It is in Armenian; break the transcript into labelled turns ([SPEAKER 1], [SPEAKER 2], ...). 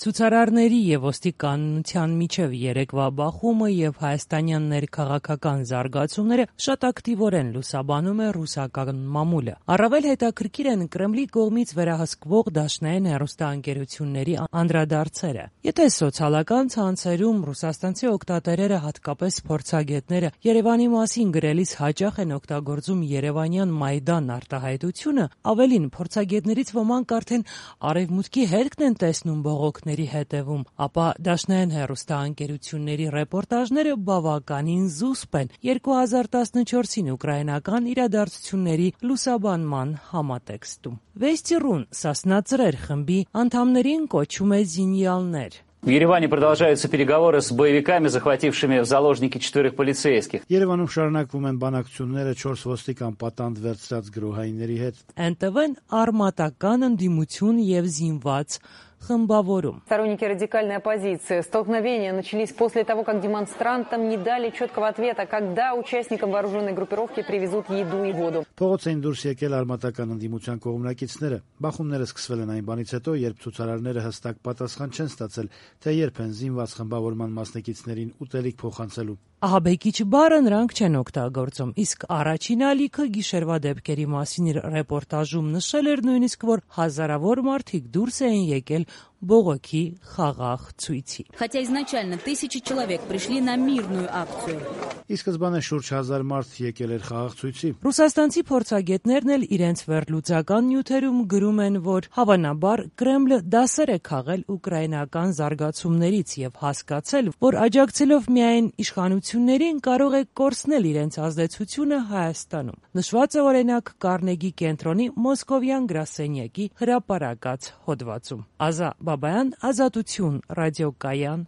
[SPEAKER 1] Ցուցարարների եւ ոստիկանության միջև երեկվա բախումը եւ հայաստանյան ներքաղաքական զարգացումները շատ ակտիվորեն լուսաբանում է ռուսական մամուլը։ Առավել հետաքրքիր են Կրեմլի կողմից վերահսկվող դաշնային հեռուստաընկերությունների անդրադարձերը։ Եթե սոցիալական ցանցերում ռուսաստանցի օգտատերերը, հատկապես փորձագետները, Երևանի մասին գրելիս հաճախ են օգտագործում երևանյան Մայդան արտահայտությունը, ավելին փորձագետներից ոմանք արդեն արևմուտքի հետքն են տեսնում բողոքների հետևում, ապա դաշնային հեռուստաընկերությունների ռեպորտաժները բավականին զուսպ են 2014-ին ուկրաինական իրադարձությունների լուսաբանման համատեքստում։ Վեստի.ru-ն Սասնա-Ծրեր խմբի անդամներին կոչում է զինյալներ։
[SPEAKER 2] В Ереване продолжаются переговоры с боевиками, захватившими в заложники 4 полицейских.
[SPEAKER 3] Երևանում շարունակվում են բանակցությունները 4 ոստիկան պատանդ վերցրած գրոհայինների հետ։
[SPEAKER 1] ՆՏՎ-ն արմատական ընդդիմություն եւ զինված խմբավորում։
[SPEAKER 4] Сторонники радикальной оппозиции. Столкновения начались после того, как демонстрантам не дали четкого ответа, когда участникам вооруженной группировки привезут еду и воду.
[SPEAKER 3] Փողոց էին դուրս եկել արմատական ընդդիմության կողմնակիցները։ Բախումները սկսվել են այն բանից հետո, երբ ցուցարարները հստակ պատասխան չեն ստացել, թե երբ են զինված խմբավորման մասնակիցներին ուտելիք փոխանցելու։
[SPEAKER 1] Ահաբեկիչ բառը նրանք չեն օգտագործում, իսկ առաջին ալիքը գիշերվա դեպքերի մասին իր ռեպորտաժում նշել էր նույնիսկ, որ հազարավոր մարդիկ դուրս էին եկել բողոքի խաղաղ ցույցի։
[SPEAKER 5] Хотя изначально тысячи человек пришли на мирную акцию.
[SPEAKER 3] Ի սկզբանե շուրջ 1000 մարդ եկել էր խաղաղ ցույցի։
[SPEAKER 1] Ռուսաստանցի փորձագետներն էլ իրենց վերլուծական նյութերում գրում են, որ հավանաբար Կրեմլը դասեր է քաղել ուկրաինական զարգացումներից եւ հասկացել, որ աջակցելով միայն իշխանություններին կարող է կորցնել իրենց ազդեցությունը Հայաստանում։ Նշված է օրինակ Կարնեգի կենտրոնի Մոսկովյան գրասենյակի հրապարակած հոդվածում։ Ազա Բաբայան, Ազատություն, ռադիոկայան,